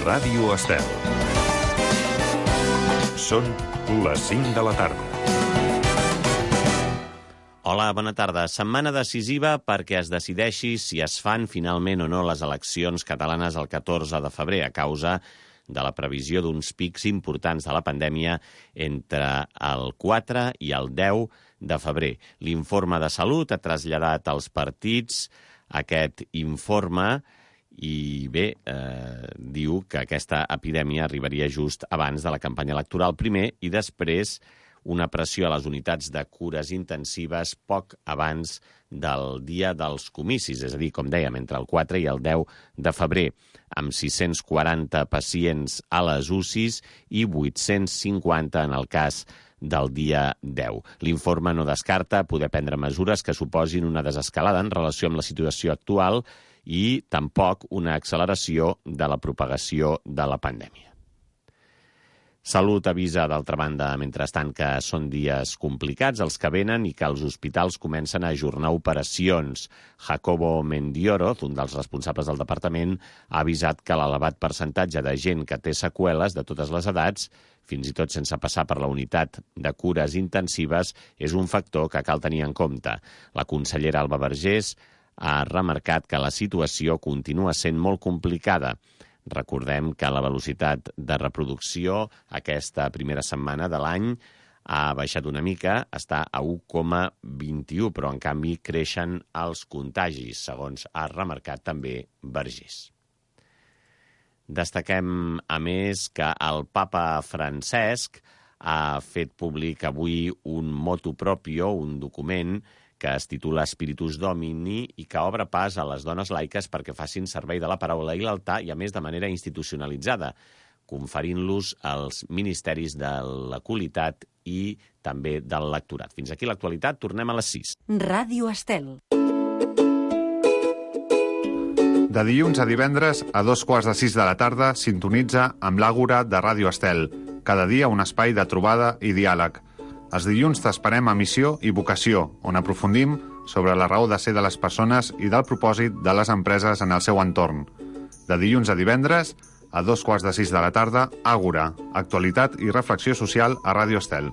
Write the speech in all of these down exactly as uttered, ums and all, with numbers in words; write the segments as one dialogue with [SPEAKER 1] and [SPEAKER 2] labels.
[SPEAKER 1] Ràdio Estel. Són les cinc de la tarda.
[SPEAKER 2] Hola, bona tarda. Setmana decisiva perquè es decideixi si es fan finalment o no les eleccions catalanes el catorze de febrer a causa de la previsió d'uns pics importants de la pandèmia entre el quatre i el deu de febrer. L'informe de Salut ha traslladat als partits aquest informe i bé, eh, diu que aquesta epidèmia arribaria just abans de la campanya electoral primer i després una pressió a les unitats de cures intensives poc abans del dia dels comicis, és a dir, com dèiem, entre el quatre i el deu de febrer, amb sis-cents quaranta pacients a les U C Is i vuit-cents cinquanta en el cas del dia deu. L'informe no descarta poder prendre mesures que suposin una desescalada en relació amb la situació actual i tampoc una acceleració de la propagació de la pandèmia. Salut avisa, d'altra banda, mentrestant, que són dies complicats els que venen i que els hospitals comencen a ajornar operacions. Jacobo Mendioroz, un dels responsables del departament, ha avisat que l'elevat percentatge de gent que té seqüeles de totes les edats, fins i tot sense passar per la unitat de cures intensives, és un factor que cal tenir en compte. La consellera Alba Vergés ha remarcat que la situació continua sent molt complicada. Recordem que la velocitat de reproducció aquesta primera setmana de l'any ha baixat una mica, està a u coma vint-i-u, però en canvi creixen els contagis, segons ha remarcat també Vergés. Destaquem, a més, que el papa Francesc ha fet públic avui un motu proprio, un document que es titula Spiritus Domini i que obre pas a les dones laiques perquè facin servei de la paraula i l'altar i, a més, de manera institucionalitzada, conferint-los els ministeris de la qualitat i també del lectorat. Fins aquí l'actualitat, tornem a les sis.
[SPEAKER 3] Ràdio Estel.
[SPEAKER 4] De dilluns a divendres, a dos quarts de sis de la tarda, sintonitza amb l'Àgora de Ràdio Estel. Cada dia un espai de trobada i diàleg. Els dilluns t'esperem a Missió i Vocació, on aprofundim sobre la raó de ser de les persones i del propòsit de les empreses en el seu entorn. De dilluns a divendres, a dos quarts de sis de la tarda, Àgora, actualitat i reflexió social a Ràdio Estel.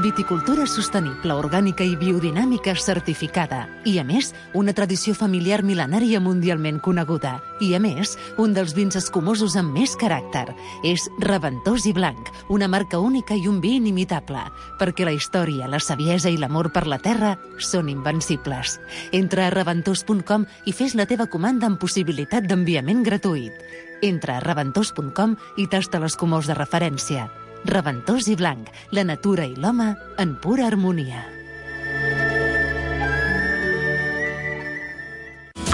[SPEAKER 3] Viticultura sostenible, orgànica i biodinàmica certificada. I, a més, una tradició familiar mil·lenària mundialment coneguda. I, a més, un dels vins escumosos amb més caràcter. És Reventós i Blanc, una marca única i un vi inimitable, perquè la història, la saviesa i l'amor per la terra són invencibles. Entra a reventós punt com i fes la teva comanda amb possibilitat d'enviament gratuït. Entra a reventós punt com i tasta l'escumós de referència. Reventós i Blanc, la natura i l'home en pura harmonia.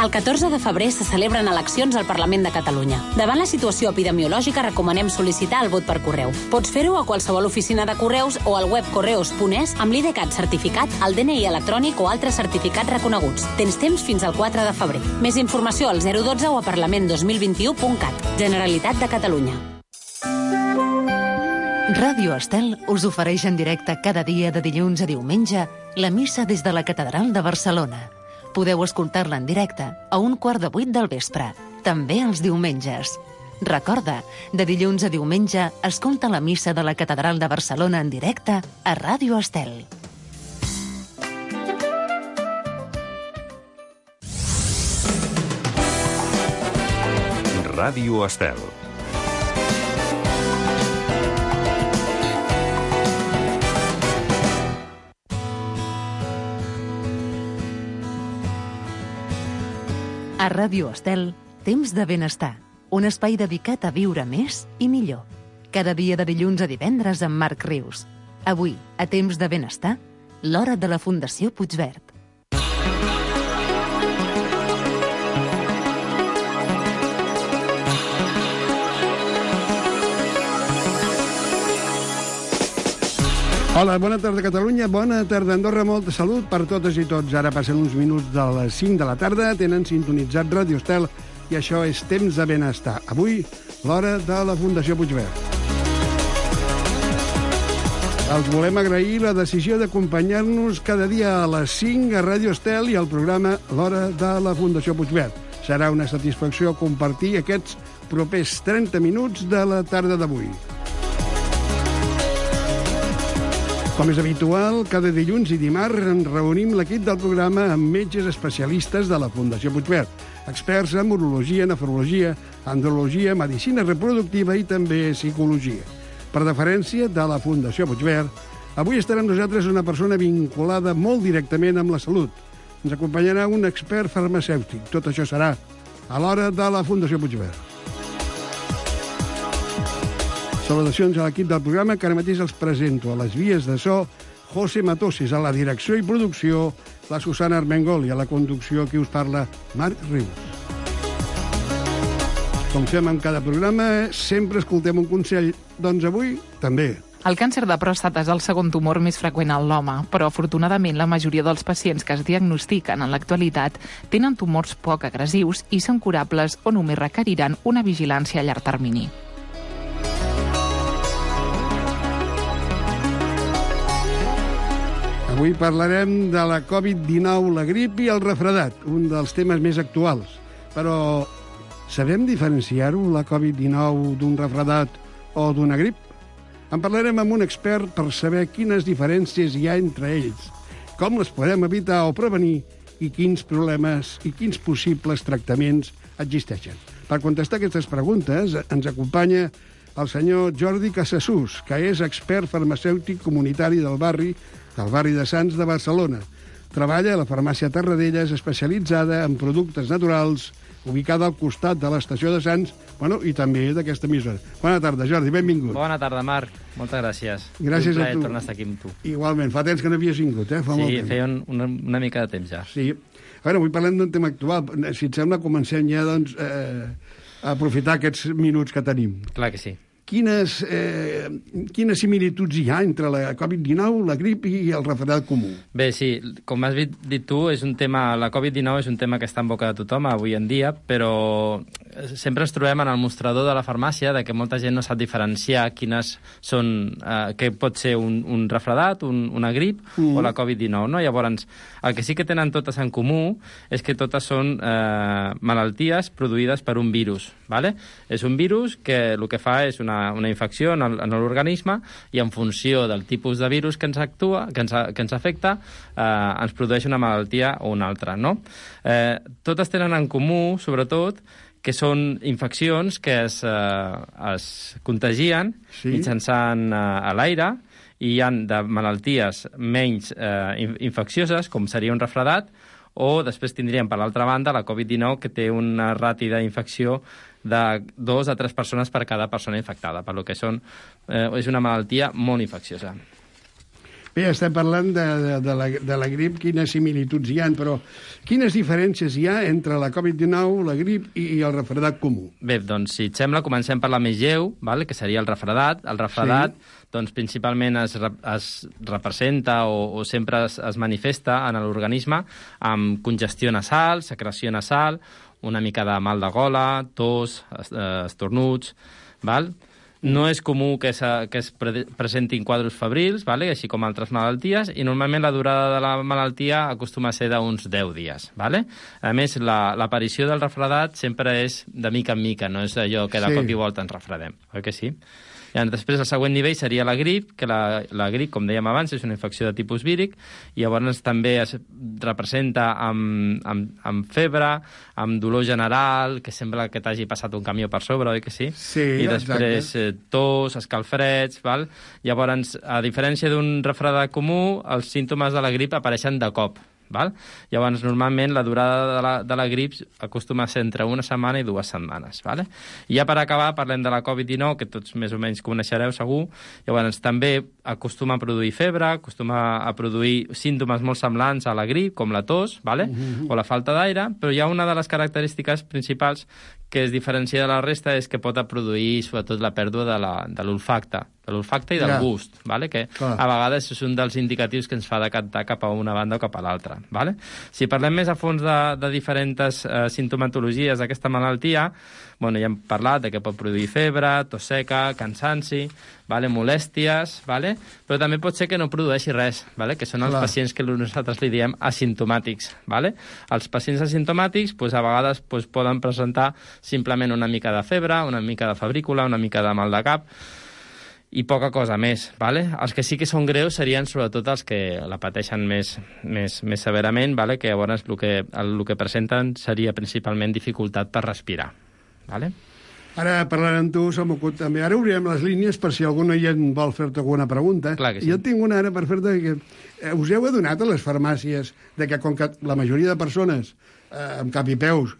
[SPEAKER 5] El catorze de febrer se celebren eleccions al Parlament de Catalunya. Davant la situació epidemiològica recomanem sol·licitar el vot per correu. Pots fer-ho a qualsevol oficina de correus o al web correus punt es amb l'I D CAT certificat, el D N I electrònic o altres certificats reconeguts. Tens temps fins al quatre de febrer. Més informació al zero dotze o a parlament dos mil vint-i-u punt cat. Generalitat de Catalunya.
[SPEAKER 3] Ràdio Estel us ofereix en directe cada dia de dilluns a diumenge la missa des de la Catedral de Barcelona. Podeu escoltar-la en directe a un quart de vuit del vespre, també els diumenges. Recorda, de dilluns a diumenge, escolta la missa de la Catedral de Barcelona en directe a Ràdio Estel.
[SPEAKER 1] Ràdio Estel.
[SPEAKER 3] A Ràdio Estel, Temps de Benestar, un espai dedicat a viure més i millor. Cada dia de dilluns a divendres amb Marc Rius. Avui, a Temps de Benestar, l'hora de la Fundació Puigverd.
[SPEAKER 6] Hola, bona tarda Catalunya, bona tarda Andorra, molta salut per totes i tots. Ara passen uns minuts de les cinc de la tarda, tenen sintonitzat Ràdio Estel i això és Temps de Benestar. Avui, l'hora de la Fundació Puigverd. Els volem agrair la decisió d'acompanyar-nos cada dia a les cinc a Ràdio Estel i al programa L'Hora de la Fundació Puigverd. Serà una satisfacció compartir aquests propers trenta minuts de la tarda d'avui. Com és habitual, cada dilluns i dimarts ens reunim l'equip del programa amb metges especialistes de la Fundació Puigverd, experts en urologia, nefrologia, andrologia, medicina reproductiva i també psicologia. Per deferència de la Fundació Puigverd, avui estarà amb nosaltres una persona vinculada molt directament amb la salut. Ens acompanyarà un expert farmacèutic. Tot això serà a l'Hora de la Fundació Puigverd. Salutacions a l'equip del programa, que ara mateix els presento. A les vies de so, José Matoses, a la direcció i producció, la Susana Armengol, i a la conducció, qui us parla, Marc Rius. Com fem en cada programa, sempre escoltem un consell. Doncs avui, també.
[SPEAKER 7] El càncer de pròstata és el segon tumor més freqüent en l'home, però afortunadament la majoria dels pacients que es diagnostiquen en l'actualitat tenen tumors poc agressius i són curables o només requeriran una vigilància a llarg termini.
[SPEAKER 6] Avui parlarem de la covid dinou, la grip i el refredat, un dels temes més actuals. Però sabem diferenciar-ho, la covid dinou, d'un refredat o d'una grip? En parlarem amb un expert per saber quines diferències hi ha entre ells, com les podem evitar o prevenir i quins problemes i quins possibles tractaments existeixen. Per contestar aquestes preguntes ens acompanya el senyor Jordi Casassús, que és expert farmacèutic comunitari del barri, del barri de Sants de Barcelona. Treballa a la farmàcia Tarradellas, especialitzada en productes naturals, ubicada al costat de l'estació de Sants, bueno, i també d'aquesta emissora. Bona tarda, Jordi, benvingut.
[SPEAKER 8] Bona tarda, Marc. Moltes gràcies.
[SPEAKER 6] Gràcies
[SPEAKER 8] un
[SPEAKER 6] a tu.
[SPEAKER 8] tornar a estar aquí amb tu.
[SPEAKER 6] Igualment, fa temps que no havies vingut, eh? Fa
[SPEAKER 8] sí,
[SPEAKER 6] molt temps.
[SPEAKER 8] feia un, una, una mica de temps ja.
[SPEAKER 6] Sí. A veure, avui parlem d'un tema actual. Si et sembla, comencem ja, doncs, eh, a aprofitar aquests minuts que tenim.
[SPEAKER 8] Clar que sí.
[SPEAKER 6] Quines, eh, quines similituds hi ha entre la covid dinou, la grip i el refredat comú?
[SPEAKER 8] Bé, sí, com has dit tu, és un tema, la covid dinou és un tema que està en boca de tothom avui en dia, però sempre ens trobem en el mostrador de la farmàcia de que molta gent no sap diferenciar quines són, eh, què pot ser un, un refredat, un, una grip mm. o la covid dinou, no? Llavors, el que sí que tenen totes en comú és que totes són eh, malalties produïdes per un virus, ¿vale? És un virus que el que fa és una una infecció en l'organisme i en funció del tipus de virus que ens actua, que ens, que ens afecta, eh, ens produeix una malaltia o una altra, no? Eh, totes tenen en comú, sobretot, que són infeccions que es, eh, es contagien sí. mitjançant eh, a l'aire, i hi ha de malalties menys eh, infeccioses, com seria un refredat, o després tindríem, per l'altra banda, la covid dinou, que té una rati d'infecció de dos a tres persones per cada persona infectada, per lo que són, eh, és una malaltia molt infecciosa.
[SPEAKER 6] Bé, estem parlant de, de, de, la, de la grip, quines similituds hi ha, però quines diferències hi ha entre la covid dinou, la grip i, i el refredat comú?
[SPEAKER 8] Bé, doncs, si et sembla, comencem per la més lleu, val? Que seria el refredat. El refredat, sí. doncs, principalment es, es representa o, o sempre es, es manifesta en l'organisme amb congestió nasal, secreció nasal, una mica de mal de gola, tos, estornuts, val? No és comú que, que es pre presentin quadros febrils, vale? Així com altres malalties, i normalment la durada de la malaltia acostuma a ser d'uns deu dies. Vale? A més, l'aparició la, del refredat sempre és de mica en mica, no és allò que de sí. cop i volta ens refredem, oi que sí? I després el següent nivell seria la grip, que la, la grip, com dèiem abans, és una infecció de tipus víric, i llavors també es representa amb, amb, amb febre, amb dolor general, que sembla que t'hagi passat un camió per sobre, oi que sí?
[SPEAKER 6] Sí,
[SPEAKER 8] I després eh, tos, escalfreds, val? Llavors, a diferència d'un refredat comú, els símptomes de la grip apareixen de cop. Val? Llavors, normalment, la durada de la, de la grip acostuma a ser entre una setmana i dues setmanes. Vale? I ja per acabar, parlem de la covid dinou, que tots més o menys coneixereu, segur. Llavors, també acostuma a produir febre, acostuma a produir símptomes molt semblants a la grip, com la tos, vale? Uh-huh. o la falta d'aire, però hi ha una de les característiques principals que es diferencia de la resta és que pot produir, sobretot, la pèrdua de l'olfacte, de l'olfacte i del
[SPEAKER 6] ja.
[SPEAKER 8] gust, vale? Que
[SPEAKER 6] Clar.
[SPEAKER 8] a vegades és un dels indicatius que ens fa decantar cap a una banda o cap a l'altra. Vale? Si parlem més a fons de, de diferents eh, sintomatologies d'aquesta malaltia, bueno, ja hem parlat de que pot produir febre, tos seca, cansanci, vale? molèsties, vale? Però també pot ser que no produeixi res, vale? Que són els
[SPEAKER 6] Clar.
[SPEAKER 8] pacients que nosaltres li diem asimptomàtics. Vale? Els pacients asimptomàtics pues, a vegades pues, poden presentar simplement una mica de febre, una mica de febrícula, una mica de mal de cap, i poca cosa més. Vale? Els que sí que són greus serien sobretot els que la pateixen més, més, més severament, vale? Que llavors el que, el, el que presenten seria principalment dificultat per respirar. Vale?
[SPEAKER 6] Ara, parlant amb tu, se m'ocut també. Ara obrirem les línies per si algun oient vol fer-te alguna pregunta.
[SPEAKER 8] Clar que sí.
[SPEAKER 6] Jo tinc una ara per fer-te que eh, us heu adonat a les farmàcies de que com que la majoria de persones eh, amb cap i peus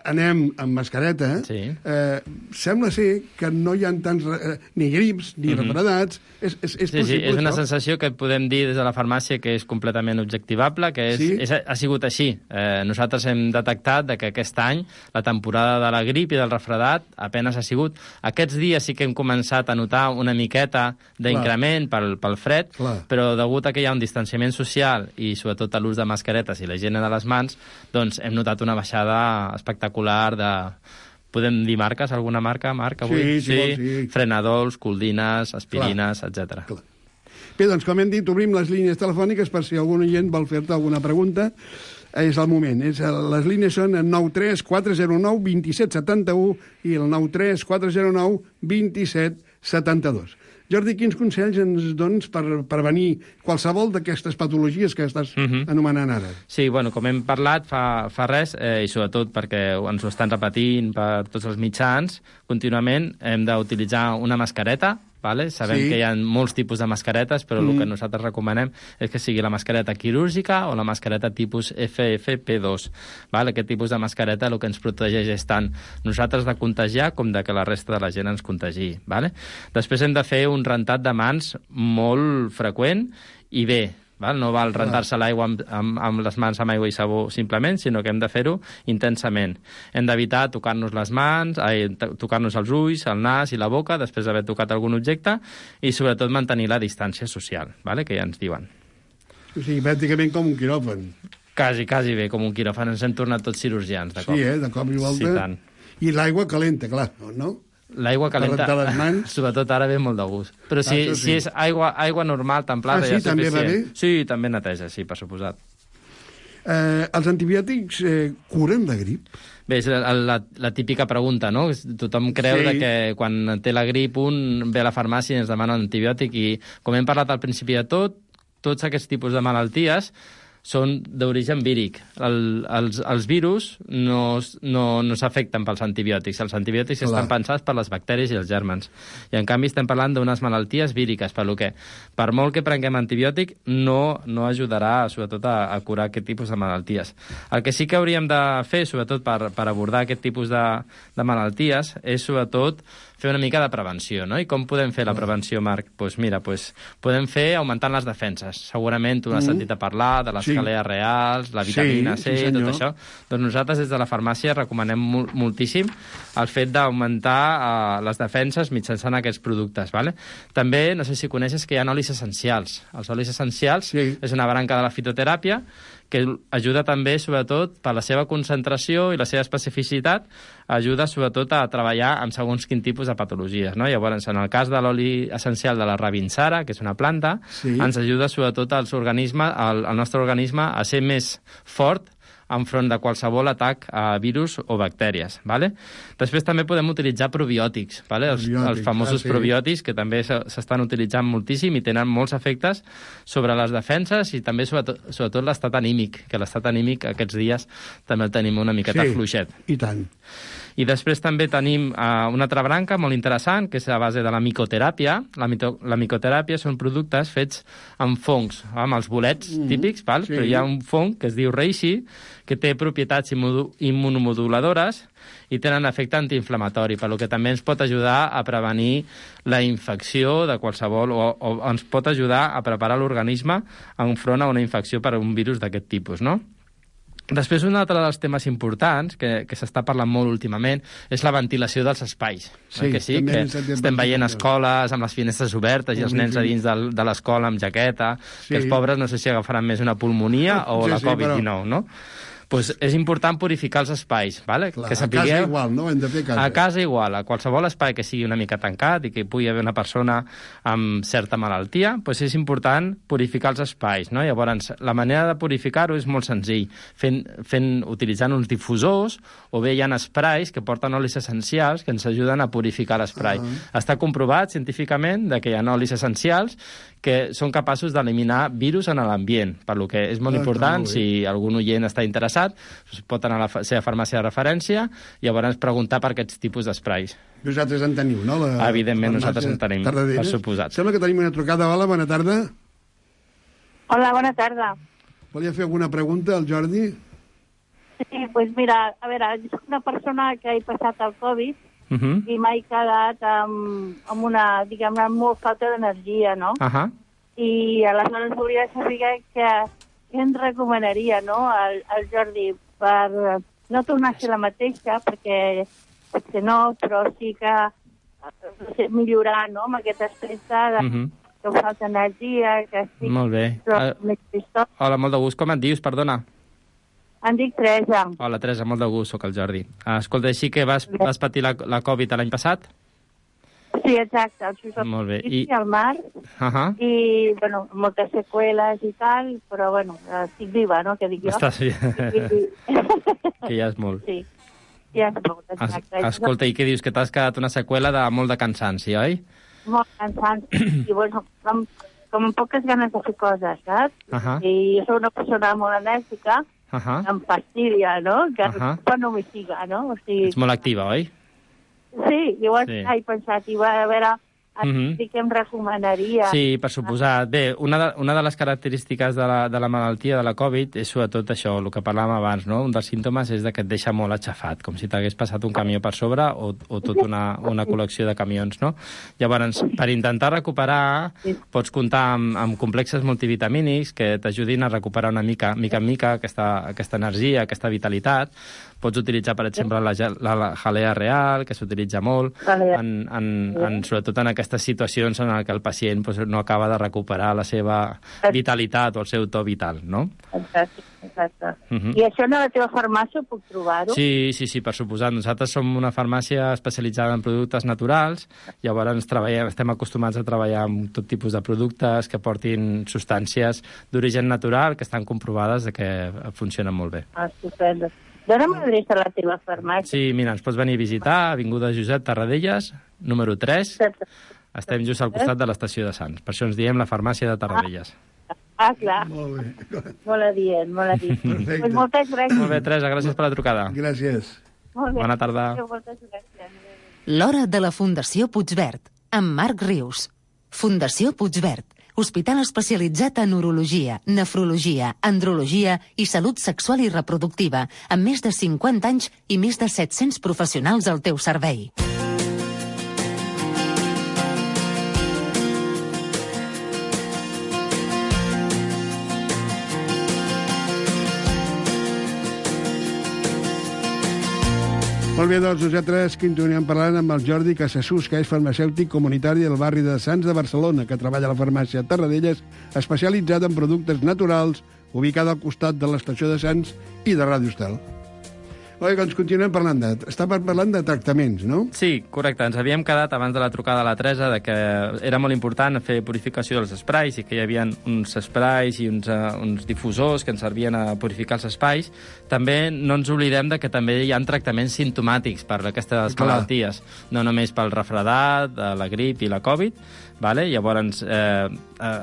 [SPEAKER 6] anem amb mascareta,
[SPEAKER 8] Sí.
[SPEAKER 6] eh, sembla ser que no hi ha tants eh, ni grips ni
[SPEAKER 8] Mhm.
[SPEAKER 6] refredats. És, és, és
[SPEAKER 8] Sí, sí,
[SPEAKER 6] possible,
[SPEAKER 8] és una
[SPEAKER 6] això?
[SPEAKER 8] sensació que podem dir des de la farmàcia que és completament objectivable, que és,
[SPEAKER 6] Sí?
[SPEAKER 8] és, ha sigut així. Eh, nosaltres hem detectat de que aquest any la temporada de la grip i del refredat apenas ha sigut. Aquests dies sí que hem començat a notar una miqueta d'increment pel, pel fred,
[SPEAKER 6] Clar.
[SPEAKER 8] però degut a que hi ha un distanciament social i sobretot a l'ús de mascaretes i la higiene de les mans, doncs hem notat una baixada espectacular de... Podem dir marques? Alguna marca, Marc, avui?
[SPEAKER 6] Sí, si vols, sí.
[SPEAKER 8] Frenadols, coldines, aspirines, etcètera.
[SPEAKER 6] Clar. Bé, doncs, com hem dit, obrim les línies telefòniques per si algun oient vol fer-te alguna pregunta. És el moment. És, les línies són el nou tres quatre zero nou dos set set u i el nou tres quatre zero nou dos set set dos. Jordi, quins consells ens dones per prevenir qualsevol d'aquestes patologies que estàs
[SPEAKER 8] Mhm.
[SPEAKER 6] anomenant ara?
[SPEAKER 8] Sí, bueno, com hem parlat fa, fa res, eh, i sobretot perquè ens ho estan repetint per tots els mitjans, contínuament hem d'utilitzar una mascareta, vale? Sabem
[SPEAKER 6] Sí.
[SPEAKER 8] que hi ha molts tipus de mascaretes, però
[SPEAKER 6] Mm.
[SPEAKER 8] el que nosaltres recomanem és que sigui la mascareta quirúrgica o la mascareta tipus F F P dos. Vale? Aquest tipus de mascareta el que ens protegeix és tant nosaltres de contagiar com de que la resta de la gent ens contagi. Vale? Després hem de fer un rentat de mans molt freqüent i bé. Val? No val rentar-se l'aigua amb, amb, amb les mans amb aigua i sabó simplement, sinó que hem de fer-ho intensament. Hem d'evitar tocar-nos les mans, ai, tocar-nos els ulls, el nas i la boca després d'haver tocat algun objecte i sobretot mantenir la distància social, vale? Que ja ens diuen.
[SPEAKER 6] O sigui, pràcticament com un quiròfan.
[SPEAKER 8] Quasi, quasi bé, com un quiròfan. Ens hem tornat tots cirurgians, de cop.
[SPEAKER 6] Sí, eh? De cop i volta.
[SPEAKER 8] Sí, tant.
[SPEAKER 6] I l'aigua calenta, clar, no?
[SPEAKER 8] L'aigua calenta,
[SPEAKER 6] Per rentar les mans.
[SPEAKER 8] sobretot ara ve molt de gust. Però si,
[SPEAKER 6] Ah, això sí.
[SPEAKER 8] si és aigua, aigua normal, templada,
[SPEAKER 6] Ah, sí?
[SPEAKER 8] ja és
[SPEAKER 6] També va
[SPEAKER 8] suficient.
[SPEAKER 6] bé?
[SPEAKER 8] Sí, també neteja, sí, per suposat.
[SPEAKER 6] Eh, els antibiòtics eh, curen la grip?
[SPEAKER 8] Bé, és la, la, la típica pregunta, no? Tothom creu
[SPEAKER 6] Sí.
[SPEAKER 8] de que quan té la grip un ve a la farmàcia i ens demana un antibiòtic i, com hem parlat al principi de tot, tots aquests tipus de malalties són d'origen víric. El, els, els virus no, no, no s'afecten pels antibiòtics. Els antibiòtics
[SPEAKER 6] Clar.
[SPEAKER 8] estan pensats per les bacteris i els gèrmens. I, en canvi, estem parlant d'unes malalties víriques, per lo que, per molt que prenguem antibiòtic, no, no ajudarà, sobretot, a, a curar aquest tipus de malalties. El que sí que hauríem de fer, sobretot, per, per abordar aquest tipus de, de malalties, és, sobretot, fer una mica de prevenció, no? I com podem fer la prevenció, Marc? Doncs pues mira, pues, podem fer augmentant les defenses. Segurament tu n'has
[SPEAKER 6] Mm.
[SPEAKER 8] sentit a parlar de les
[SPEAKER 6] Sí.
[SPEAKER 8] calees reals, la vitamina
[SPEAKER 6] Sí,
[SPEAKER 8] C,
[SPEAKER 6] sí,
[SPEAKER 8] tot
[SPEAKER 6] senyor.
[SPEAKER 8] això. Doncs nosaltres des de la farmàcia recomanem mol moltíssim el fet d'augmentar uh, les defenses mitjançant aquests productes. Vale? També, no sé si coneixes que hi ha olis essencials. Els olis essencials
[SPEAKER 6] Sí.
[SPEAKER 8] és una branca de la fitoteràpia que ajuda també, sobretot, per la seva concentració i la seva especificitat, ajuda, sobretot, a treballar amb segons quin tipus de patologies. No? Llavors, en el cas de l'oli essencial de la rabinsara, que és una planta,
[SPEAKER 6] Sí.
[SPEAKER 8] ens ajuda, sobretot, als organismes, al, al nostre organisme a ser més fort enfront de qualsevol atac a virus o bactèries. Vale? Després també podem utilitzar probiòtics, vale? els,
[SPEAKER 6] Probiòtics,
[SPEAKER 8] els famosos
[SPEAKER 6] ah, sí.
[SPEAKER 8] probiòtics, que també s'estan utilitzant moltíssim i tenen molts efectes sobre les defenses i també sobretot, sobretot l'estat anímic, que l'estat anímic aquests dies també el tenim una miqueta
[SPEAKER 6] Sí.
[SPEAKER 8] fluixet.
[SPEAKER 6] I tant.
[SPEAKER 8] I després també tenim uh, una altra branca molt interessant, que és a base de la micoteràpia. La, mito la micoteràpia són productes fets amb fongs, amb els bolets mm, típics, val?
[SPEAKER 6] sí.
[SPEAKER 8] Però hi ha un fong que es diu reishi, que té propietats immunomoduladores i tenen efecte antiinflamatori, per lo que també ens pot ajudar a prevenir la infecció de qualsevol, o, o ens pot ajudar a preparar l'organisme enfront a una infecció per un virus d'aquest tipus, no? Després, un altre dels temes importants que, que s'està parlant molt últimament és la ventilació dels espais.
[SPEAKER 6] Sí,
[SPEAKER 8] que sí,
[SPEAKER 6] també
[SPEAKER 8] que
[SPEAKER 6] hem
[SPEAKER 8] estem veient escoles amb les finestres obertes i els nens a dins de, de l'escola amb jaqueta,
[SPEAKER 6] Sí.
[SPEAKER 8] que els pobres no sé si agafaran més una pulmonia o
[SPEAKER 6] Sí,
[SPEAKER 8] la
[SPEAKER 6] sí,
[SPEAKER 8] covid dinou, no? Pues és important purificar els espais, vale?
[SPEAKER 6] Clar,
[SPEAKER 8] que
[SPEAKER 6] a
[SPEAKER 8] sapigueu...
[SPEAKER 6] casa igual, no? Hem de fer a casa.
[SPEAKER 8] A casa igual, a qualsevol espai que sigui una mica tancat i que hi pugui haver una persona amb certa malaltia, doncs és important purificar els espais, no? Llavors, la manera de purificar-ho és molt senzill, fent, fent, utilitzant uns difusors o bé hi ha esprais que porten olis essencials que ens ajuden a purificar l'esprai. Uh -huh. Està comprovat científicament de que hi ha olis essencials que són capaços d'eliminar virus en l'ambient, per lo que és molt
[SPEAKER 6] Ah,
[SPEAKER 8] important,
[SPEAKER 6] molt bé.
[SPEAKER 8] si algun oient està interessat, pot anar a la fa- seva farmàcia de referència i llavors preguntar per aquests tipus d'esprais.
[SPEAKER 6] Vosaltres en teniu, no? La,
[SPEAKER 8] Evidentment,
[SPEAKER 6] la
[SPEAKER 8] nosaltres en tenim,
[SPEAKER 6] Tarradellas.
[SPEAKER 8] per suposat.
[SPEAKER 6] Sembla que tenim una trucada. Hola, bona tarda.
[SPEAKER 9] Hola, bona tarda.
[SPEAKER 6] Volia fer alguna pregunta al Jordi?
[SPEAKER 9] Sí, pues mira, a veure, jo soc una persona que he passat el Covid
[SPEAKER 8] Uh -huh.
[SPEAKER 9] i m'he quedat amb, amb una, diguem-ne, amb molt falta d'energia, no?
[SPEAKER 8] Uh -huh.
[SPEAKER 9] I aleshores volia saber que, què ens recomanaria, no?, al, al Jordi, per no tornar a ser la mateixa, perquè potser no, però sí que no sé, millorar, no?, amb aquest aspecte de
[SPEAKER 8] Uh -huh.
[SPEAKER 9] que em falta energia, que estic...
[SPEAKER 8] Molt bé.
[SPEAKER 9] Però,
[SPEAKER 8] Uh,
[SPEAKER 9] més tristós.
[SPEAKER 8] hola, molt de gust. Com et dius, perdona?
[SPEAKER 9] Em dic Teresa.
[SPEAKER 8] Hola, Teresa, molt de gust, sóc el Jordi. Uh, escolta, així que vas, vas patir la, la Covid l'any passat?
[SPEAKER 9] Sí, exacte. El Josep
[SPEAKER 8] Molt bé.
[SPEAKER 9] I...
[SPEAKER 8] I-
[SPEAKER 9] al mar,
[SPEAKER 8] Uh -huh.
[SPEAKER 9] i, bueno, moltes seqüeles i tal, però, bueno, estic viva, no?, que dic jo.
[SPEAKER 8] Estàs bé.
[SPEAKER 9] I...
[SPEAKER 8] Que ja és molt.
[SPEAKER 9] Sí, ja és molt,
[SPEAKER 8] Es,
[SPEAKER 9] exacte.
[SPEAKER 8] escolta, i què dius? Que t'has quedat una seqüela de molt de cansanci, oi?
[SPEAKER 9] Molt cansant. I, bueno, com, com amb poques ganes de fer coses, saps?
[SPEAKER 8] Uh -huh.
[SPEAKER 9] I jo soc una persona molt enèrgica,
[SPEAKER 8] Uh -huh.
[SPEAKER 9] em fastidia, no?, que
[SPEAKER 8] Uh -huh.
[SPEAKER 9] quan no m'hi siga, no? O sigui,
[SPEAKER 8] Ets molt activa, oi?
[SPEAKER 9] sí, llavors
[SPEAKER 8] Sí.
[SPEAKER 9] sí. he pensat, i va, a veure,
[SPEAKER 8] Uh -huh.
[SPEAKER 9] sí que em recomanaria.
[SPEAKER 8] Sí, per suposat. Bé, una de, una de les característiques de la, de la malaltia de la Covid és sobretot això, el que parlàvem abans, no? Un dels símptomes és de que et deixa molt aixafat, com si t'hagués passat un camió per sobre o, o tota una, una col·lecció de camions, no? Llavors, per intentar recuperar, pots comptar amb, amb complexes multivitamínics que t'ajudin a recuperar una mica, mica en mica aquesta, aquesta energia, aquesta vitalitat. Pots utilitzar, per exemple, la, ge- la, la jalea real, que s'utilitza molt,
[SPEAKER 9] Jalea.
[SPEAKER 8] en, en, en, sobretot en aquestes situacions en què el pacient doncs, no acaba de recuperar la seva vitalitat o el seu to vital, no?
[SPEAKER 9] Exacte, exacte.
[SPEAKER 8] Uh -huh.
[SPEAKER 9] I això a la teva farmàcia ho puc trobar-ho?
[SPEAKER 8] Sí, sí, sí, per suposat. Nosaltres som una farmàcia especialitzada en productes naturals, llavors treballem, estem acostumats a treballar amb tot tipus de productes que portin substàncies d'origen natural que estan comprovades de que funcionen molt bé.
[SPEAKER 9] Ah, estupendo. Dóna'm l'adreça a la teva farmàcia.
[SPEAKER 8] Sí, mira, ens pots venir a visitar, Avinguda Josep Tarradellas, número tres. Estem just al costat de l'estació de Sants. Per això ens diem la farmàcia de Tarradellas.
[SPEAKER 9] Ah, clar.
[SPEAKER 6] Molt bé.
[SPEAKER 9] Molt adient, molt adient.
[SPEAKER 6] Perfecte.
[SPEAKER 9] Pues moltes gràcies.
[SPEAKER 8] Molt bé, Teresa, gràcies per la trucada.
[SPEAKER 6] Gràcies.
[SPEAKER 9] Molt bé.
[SPEAKER 8] Bona tarda.
[SPEAKER 9] Moltes gràcies.
[SPEAKER 3] L'hora de la Fundació Puigverd, amb Marc Rius. Fundació Puigverd, hospital especialitzat en urologia, nefrologia, andrologia i salut sexual i reproductiva, amb més de cinquanta anys i més de set-cents professionals al teu servei.
[SPEAKER 6] Molt bé, doncs nosaltres continuem parlant amb el Jordi Casassús, que és farmacèutic comunitari del barri de Sants de Barcelona, que treballa a la farmàcia Tarradellas, especialitzada en productes naturals, ubicada al costat de l'estació de Sants i de Ràdio Estel. Oi, doncs continuem parlant de... Està parlant de tractaments, no?
[SPEAKER 8] Sí, correcte. Ens havíem quedat abans de la trucada a la Teresa de que era molt important fer purificació dels esprais i que hi havia uns esprais i uns, uh, uns difusors que ens servien a purificar els espais. També no ens oblidem de que també hi ha tractaments simptomàtics per aquestes
[SPEAKER 6] Clar.
[SPEAKER 8] malalties, no només pel refredat, la grip i la Covid. Vale? Llavors, eh,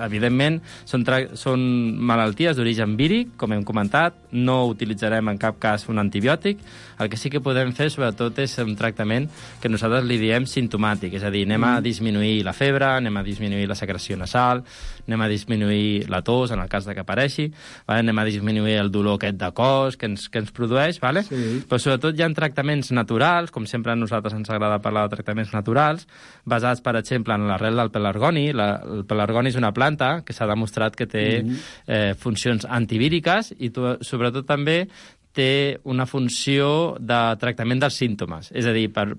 [SPEAKER 8] evidentment, són, són malalties d'origen víric, com hem comentat, no utilitzarem en cap cas un antibiòtic, El que sí que podem fer, sobretot, és un tractament que nosaltres li diem simptomàtic, és a dir, anem a disminuir la febre, anem a disminuir la secreció nasal, anem a disminuir la tos, en el cas de que apareixi, vale? Anem a disminuir el dolor aquest de cos que ens, que ens produeix, vale? Sí. Però sobretot hi ha tractaments naturals, com sempre a nosaltres ens agrada parlar de tractaments naturals, basats, per exemple, en l'arrel del pelargoni. La, el pelargoni és una planta que s'ha demostrat que té mm-hmm. eh, funcions antivíriques i to, sobretot també té una funció de tractament dels símptomes. És a dir, per,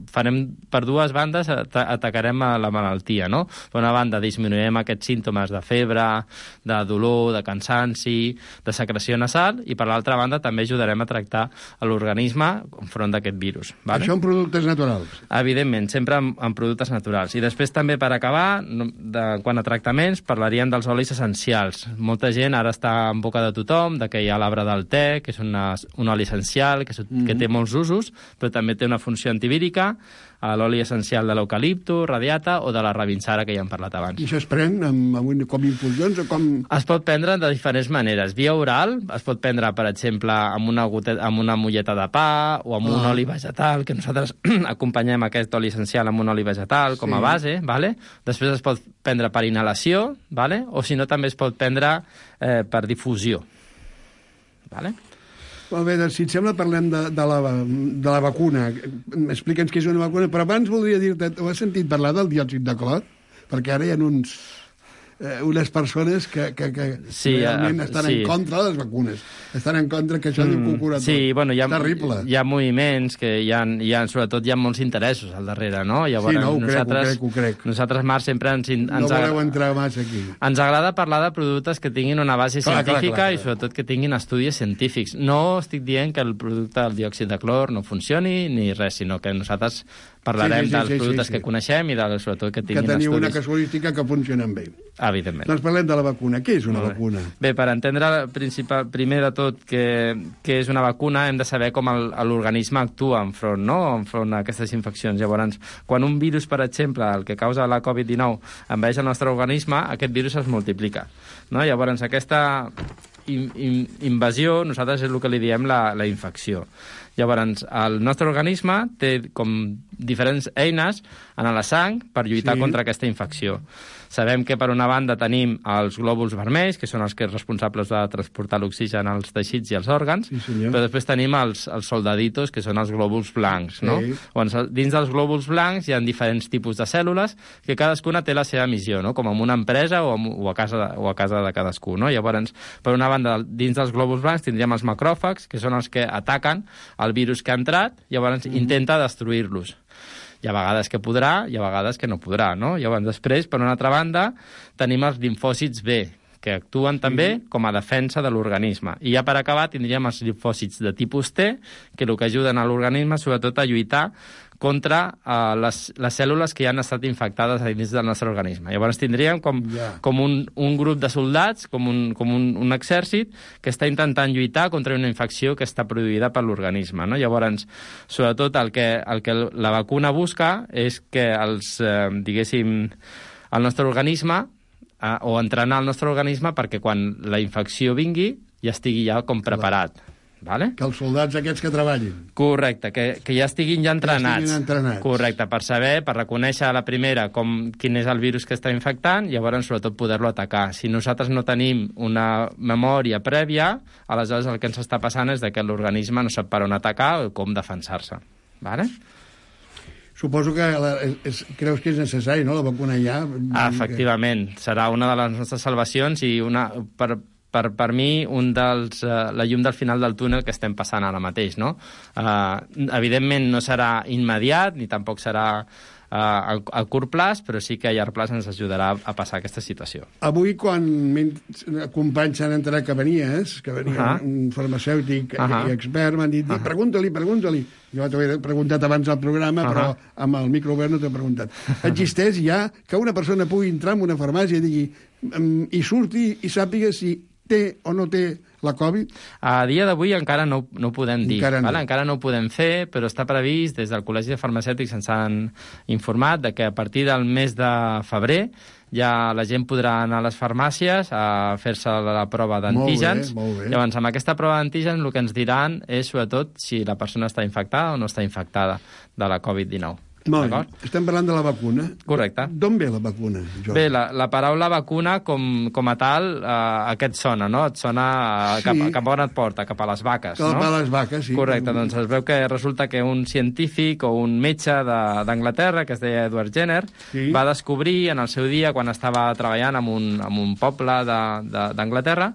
[SPEAKER 8] farem, per dues bandes atacarem a la malaltia, no? Per una banda, disminuirem aquests símptomes de febre, de dolor, de cansanci, de secreció nasal, i per l'altra banda també ajudarem a tractar l'organisme enfront d'aquest virus. Vale?
[SPEAKER 6] Això en productes naturals?
[SPEAKER 8] Evidentment, sempre en, en productes naturals. I després també, per acabar, de, quan a tractaments, parlaríem dels olis essencials. Molta gent ara està en boca de tothom, de que hi ha l'arbre del te, que és una un oli essencial que, mm-hmm. que té molts usos, però també té una funció antivírica, l'oli essencial de l'eucalipto, radiata o de la rabinsara, que ja hem parlat abans.
[SPEAKER 6] I això es pren amb, amb, com infusions o com...
[SPEAKER 8] Es pot prendre de diferents maneres. Via oral, es pot prendre, per exemple, amb una, gotet, amb una molleta de pa o amb ah. un oli vegetal, que nosaltres acompanyem aquest oli essencial amb un oli vegetal com a sí. base, vale? Després es pot prendre per inhalació, vale? O si no també es pot prendre eh, per difusió. Vale?
[SPEAKER 6] Molt bé, doncs, si et sembla, parlem de, de, la, de la vacuna. Explica'ns què és una vacuna, però abans voldria dir-te, ho has sentit parlar del diòxid de clor? Perquè ara hi ha uns, eh, unes persones que, que, que sí, realment uh, estan sí. en contra de les vacunes. Estan en contra que això mm, diu que ho cura tot.
[SPEAKER 8] Sí, bueno, hi ha,
[SPEAKER 6] terrible.
[SPEAKER 8] Hi ha moviments que hi ha, hi ha, sobretot hi ha molts interessos al darrere, no? Llavors,
[SPEAKER 6] sí, no, ho
[SPEAKER 8] nosaltres,
[SPEAKER 6] crec, ho crec, ho crec.
[SPEAKER 8] Nosaltres, Marc, sempre ens... ens
[SPEAKER 6] no voleu entrar massa aquí.
[SPEAKER 8] Ens agrada parlar de productes que tinguin una base clar, científica clar, clar, clar. i sobretot que tinguin estudis científics. No estic dient que el producte del diòxid de clor no funcioni ni res, sinó que nosaltres parlarem sí, sí, sí, dels sí, productes sí, sí. que coneixem i de, sobretot que tinguin
[SPEAKER 6] estudis. Que teniu
[SPEAKER 8] estudis.
[SPEAKER 6] una casuística que funcionen bé.
[SPEAKER 8] Evidentment.
[SPEAKER 6] Doncs parlem de la vacuna. Què és una
[SPEAKER 8] Molt
[SPEAKER 6] vacuna?
[SPEAKER 8] Bé, per entendre principal, primer de tot que, que és una vacuna hem de saber com l'organisme actua enfront, no? enfront a aquestes infeccions. Llavors, quan un virus, per exemple, el que causa la covid dinou, envaeix el nostre organisme, aquest virus es multiplica. No? Llavors, aquesta in, in, invasió, nosaltres és el que li diem la, la infecció. Llavors, el nostre organisme té com diferents eines en la sang per lluitar sí. contra aquesta infecció. Sabem que, per una banda, tenim els glòbuls vermells, que són els que són responsables de transportar l'oxigen als teixits i als òrgans, sí, però després tenim els, els soldaditos, que són els glòbuls blancs. Sí. No? Llavors, dins dels glòbuls blancs hi ha diferents tipus de cèl·lules que cadascuna té la seva missió, no? Com en una empresa o, o, a casa, o a casa de cadascú. No? Llavors, per una banda, dins dels glòbuls blancs tindríem els macròfags, que són els que ataquen el virus que ha entrat, llavors mm. intenta destruir-los. Hi ha vegades que podrà, hi ha vegades que no podrà, no? Llavors, després, per una altra banda, tenim els limfòcits B, que actuen també sí. com a defensa de l'organisme. I ja per acabar tindríem els limfòcits de tipus T, que el que ajuden a l'organisme sobretot a lluitar contra uh, les, les cèl·lules que ja han estat infectades a dins del nostre organisme. Llavors tindríem com, yeah. com un, un grup de soldats, com, un, com un, un exèrcit, que està intentant lluitar contra una infecció que està produïda per l'organisme. No? Llavors, sobretot, el que, el que la vacuna busca és que els, eh, diguéssim, el nostre organisme eh, o entrenar el nostre organisme perquè quan la infecció vingui ja estigui ja com preparat. Vale?
[SPEAKER 6] Que els soldats aquests que treballin.
[SPEAKER 8] Correcte, que, que ja estiguin ja entrenats.
[SPEAKER 6] Ja estiguin entrenats.
[SPEAKER 8] Correcte, per saber, per reconèixer a la primera com, quin és el virus que està infectant i llavors sobretot poder-lo atacar. Si nosaltres no tenim una memòria prèvia, aleshores el que ens està passant és que l'organisme no sap per on atacar o com defensar-se. Vale?
[SPEAKER 6] Suposo que la, és, creus que és necessari, no?, la vacuna ja.
[SPEAKER 8] Ah, efectivament, serà una de les nostres salvacions i una... Per, Per, per mi, un dels, uh, la llum del final del túnel que estem passant ara mateix, no? Uh, evidentment no serà immediat, ni tampoc serà uh, a, a curt plaç, però sí que a llarg plaç ens ajudarà a passar aquesta situació.
[SPEAKER 6] Avui, quan companys s'han enterat que venies, que venia uh -huh. un farmacèutic uh -huh. i expert, m'han dit, uh -huh. pregunta-li, pregunta-li. Jo t'ho he preguntat abans al programa, uh -huh. però amb el micro obert no t'ho he preguntat. Existeix ja que una persona pugui entrar en una farmàcia i digui, um, i surti i sàpiga si té o no té la Covid?
[SPEAKER 8] A dia d'avui encara no, no ho podem dir.
[SPEAKER 6] Encara no.
[SPEAKER 8] Vale? Encara no ho podem fer, però està previst, des del Col·legi de Farmacèutics ens han informat de que a partir del mes de febrer ja la gent podrà anar a les farmàcies a fer-se la prova d'antígens.
[SPEAKER 6] Molt bé, molt bé.
[SPEAKER 8] Llavors, amb aquesta prova d'antígens el que ens diran és, sobretot, si la persona està infectada o no està infectada de la covid dinou.
[SPEAKER 6] Molt bé. Estem parlant de la vacuna.
[SPEAKER 8] Correcte.
[SPEAKER 6] D'on ve la vacuna, Jordi?
[SPEAKER 8] Bé, la, la paraula vacuna, com, com a tal, eh, a què et sona, no? Et sona a,
[SPEAKER 6] Sí.
[SPEAKER 8] cap, cap a on et porta? Cap a les vaques,
[SPEAKER 6] Cap
[SPEAKER 8] no?
[SPEAKER 6] a les vaques, sí.
[SPEAKER 8] Correcte, doncs es veu que resulta que un científic o un metge de- d'Anglaterra, que es deia Edward Jenner,
[SPEAKER 6] Sí.
[SPEAKER 8] va descobrir en el seu dia, quan estava treballant en un, en un poble de- de- d'Anglaterra,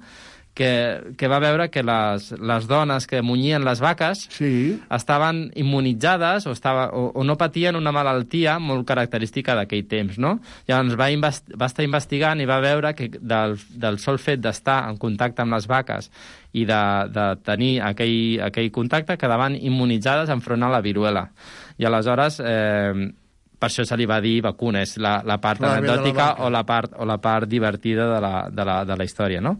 [SPEAKER 8] que, que va veure que les, les dones que munyien les vaques
[SPEAKER 6] sí.
[SPEAKER 8] estaven immunitzades o, estava, o, o no patien una malaltia molt característica d'aquell temps, no? Llavors va, invest, va estar investigant i va veure que del, del sol fet d'estar en contacte amb les vaques i de, de tenir aquell, aquell contacte quedaven immunitzades enfront a la viruela. I aleshores... Eh, per això se li va dir vacuna, és la, la part
[SPEAKER 6] Clar, ve de la
[SPEAKER 8] anecdòtica
[SPEAKER 6] vaca.
[SPEAKER 8] o la part, o la part divertida de la, de la, de la història, no?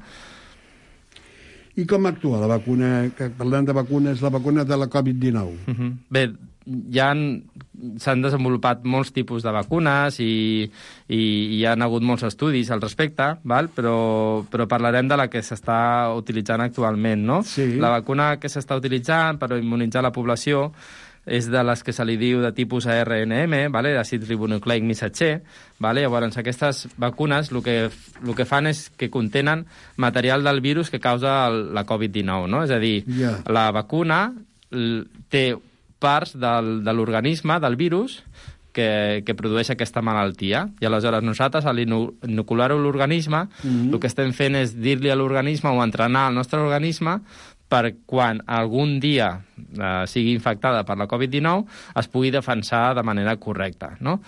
[SPEAKER 6] I com actua la vacuna, que parlant de vacunes, la vacuna de la covid dinou?
[SPEAKER 8] Uh -huh. Bé, ja han, s'han desenvolupat molts tipus de vacunes i, i, i hi ha hagut molts estudis al respecte, val? Però, però parlarem de la que s'està utilitzant actualment, no?
[SPEAKER 6] Sí.
[SPEAKER 8] La vacuna que s'està utilitzant per immunitzar la població és de les que se li diu de tipus A R N M, vale? Àcid ribonucleic missatger. Vale? Llavors, aquestes vacunes el que, el que fan és que contenen material del virus que causa el, la covid dinou, no? És a dir,
[SPEAKER 6] Ja.
[SPEAKER 8] la vacuna l- té parts del, de l'organisme, del virus, que, que produeix aquesta malaltia. I aleshores nosaltres, a l'inocular-ho a l'organisme,
[SPEAKER 6] Mhm.
[SPEAKER 8] el que estem fent és dir-li a l'organisme o entrenar el nostre organisme per quan algun dia eh, sigui infectada per la covid dinou es pugui defensar de manera correcta, no?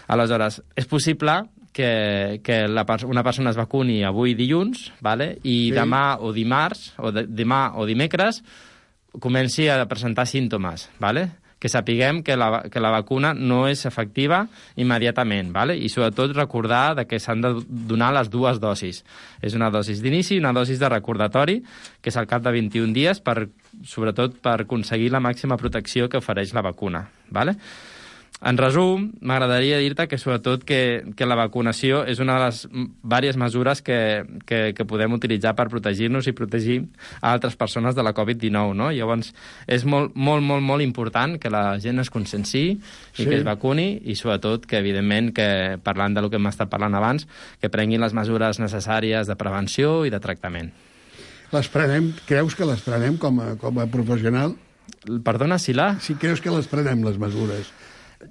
[SPEAKER 8] Aleshores, és possible que, que la, pers- una persona es vacuni avui dilluns, vale? I
[SPEAKER 6] Sí.
[SPEAKER 8] demà o dimarts, o de, demà o dimecres, comenci a presentar símptomes, vale? Que sapiguem que la, que la vacuna no és efectiva immediatament, vale? I sobretot recordar de que s'han de donar les dues dosis. És una dosis d'inici i una dosis de recordatori, que és al cap de vint-i-un dies, per, sobretot per aconseguir la màxima protecció que ofereix la vacuna, vale? En resum, m'agradaria dir-te que sobretot que, que la vacunació és una de les diverses mesures que, que, que podem utilitzar per protegir-nos i protegir a altres persones de la covid dinou, no? Llavors, és molt, molt, molt, molt important que la gent es conscienciï i
[SPEAKER 6] Sí.
[SPEAKER 8] que es vacuni i sobretot que, evidentment, que parlant del que hem estat parlant abans, que prenguin les mesures necessàries de prevenció i de tractament.
[SPEAKER 6] Les prenem, creus que les prenem com a, com a professional?
[SPEAKER 8] Perdona, Sila?
[SPEAKER 6] Si creus que les prenem, les mesures.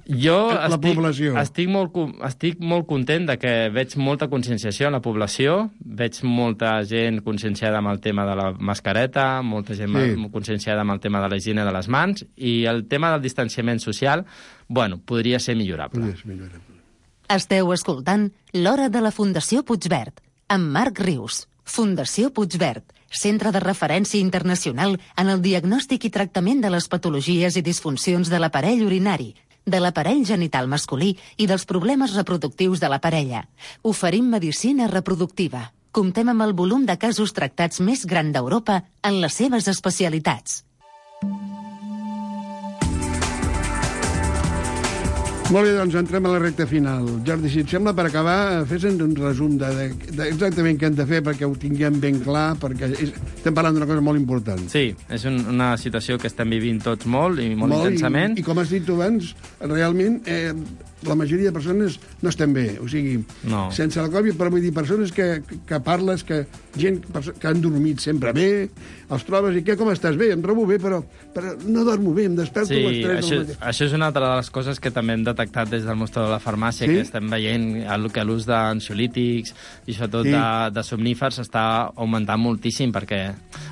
[SPEAKER 8] Jo
[SPEAKER 6] La
[SPEAKER 8] estic,
[SPEAKER 6] població.
[SPEAKER 8] estic, molt, co- estic molt content de que veig molta conscienciació en la població, veig molta gent conscienciada amb el tema de la mascareta, molta gent
[SPEAKER 6] Sí.
[SPEAKER 8] sí. conscienciada amb el tema de la higiene de les mans, i el tema del distanciament social, bueno, podria ser millorable.
[SPEAKER 6] Podria ser millorable.
[SPEAKER 3] Esteu escoltant L'Hora de la Fundació Puigverd, amb Marc Rius. Fundació Puigverd, centre de referència internacional en el diagnòstic i tractament de les patologies i disfuncions de l'aparell urinari, de l'aparell genital masculí i dels problemes reproductius de la parella. Oferim medicina reproductiva. Comptem amb el volum de casos tractats més gran d'Europa en les seves especialitats.
[SPEAKER 6] Molt bé, doncs entrem a la recta final. Jordi, si et sembla, per acabar, fes-nos un resum de, de, de exactament què hem de fer perquè ho tinguem ben clar, perquè és, estem parlant d'una cosa molt important.
[SPEAKER 8] Sí, és un, una situació que estem vivint tots molt i molt, molt intensament.
[SPEAKER 6] I, I com has dit tu abans, realment eh, la majoria de persones no estem bé. O sigui,
[SPEAKER 8] No.
[SPEAKER 6] sense la Covid, però vull dir, persones que, que parles, que gent perso- que han dormit sempre bé, els trobes i què, com estàs? Bé, em trobo bé, però, però no dormo bé, em desperto a les
[SPEAKER 8] Sí,
[SPEAKER 6] tres
[SPEAKER 8] això,
[SPEAKER 6] del matí.
[SPEAKER 8] això és una altra de les coses que també hem detectat des del mostrador de la farmàcia,
[SPEAKER 6] Sí?
[SPEAKER 8] que estem veient el, que l'ús d'ansiolítics i sobretot
[SPEAKER 6] Sí.
[SPEAKER 8] de, de somnífers està augmentant moltíssim, perquè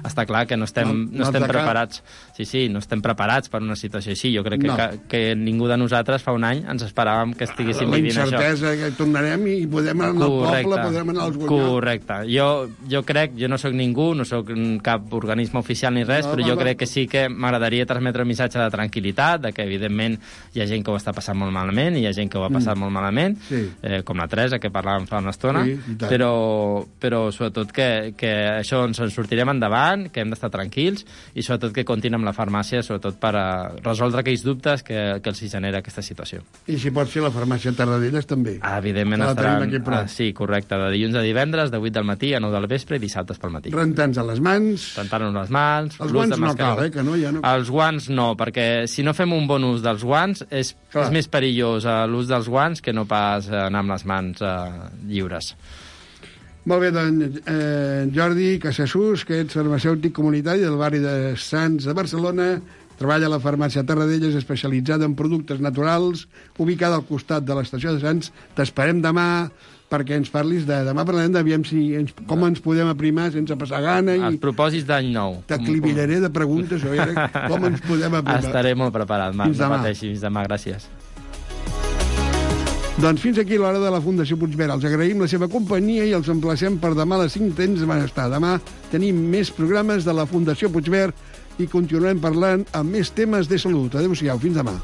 [SPEAKER 8] està clar que no estem,
[SPEAKER 6] Mal-
[SPEAKER 8] no
[SPEAKER 6] mals
[SPEAKER 8] estem
[SPEAKER 6] de cap.
[SPEAKER 8] preparats. Sí, sí, no estem preparats per una situació així. Jo crec que,
[SPEAKER 6] No.
[SPEAKER 8] que, que ningú de nosaltres fa un any ens esperàvem esperàvem que estiguéssim
[SPEAKER 6] la
[SPEAKER 8] vivint això.
[SPEAKER 6] La incertesa que tornarem i podem anar al poble, podem anar als guanyons.
[SPEAKER 8] Correcte. Jo, jo crec, jo no sóc ningú, no sóc cap organisme oficial ni res, no, però jo va, crec que sí que m'agradaria transmetre un missatge de tranquil·litat, de que evidentment hi ha gent que ho està passant molt malament, i hi ha gent que ho ha passat mm. molt malament, sí. eh, com la Teresa, que parlàvem fa una estona, sí, però, però sobretot que, que això ens en sortirem endavant, que hem d'estar tranquils, i sobretot que comptin amb la farmàcia, sobretot per a resoldre aquells dubtes que, que els genera aquesta situació.
[SPEAKER 6] I si pot ser la farmàcia Tarradellas també.
[SPEAKER 8] Ah, evidentment estaran... Ah, sí, correcte. De dilluns a divendres, de vuit del matí a nou del vespre i dissabtes pel matí.
[SPEAKER 6] Rentant-nos a les mans...
[SPEAKER 8] Rentant-nos les mans...
[SPEAKER 6] Els guants no cal, eh? Que no, ja no...
[SPEAKER 8] Els guants no, perquè si no fem un bon ús dels guants és, és més perillós l'ús dels guants que no pas anar amb les mans eh, lliures.
[SPEAKER 6] Molt bé, doncs, eh, Jordi Casassús, que ets farmacèutic comunitari del barri de Sants de Barcelona, treballa a la farmàcia Tarradellas, especialitzada en productes naturals, ubicada al costat de l'estació de Sants. T'esperem demà perquè ens parlis de... Demà parlarem d'aviam si ens, com ens podem aprimar sense passar gana. I...
[SPEAKER 8] Els propòsits d'any nou.
[SPEAKER 6] T'acliviraré de preguntes a veure com ens podem aprimar.
[SPEAKER 8] Estaré molt preparat, Marc. No pateixi, fins demà. Gràcies.
[SPEAKER 6] Doncs fins aquí l'hora de la Fundació Puigverd. Els agraïm la seva companyia i els emplacem per demà a les cinc temps de benestar. Demà tenim més programes de la Fundació Puigverd i continuem parlant amb més temes de salut. Adéu-siau, fins demà.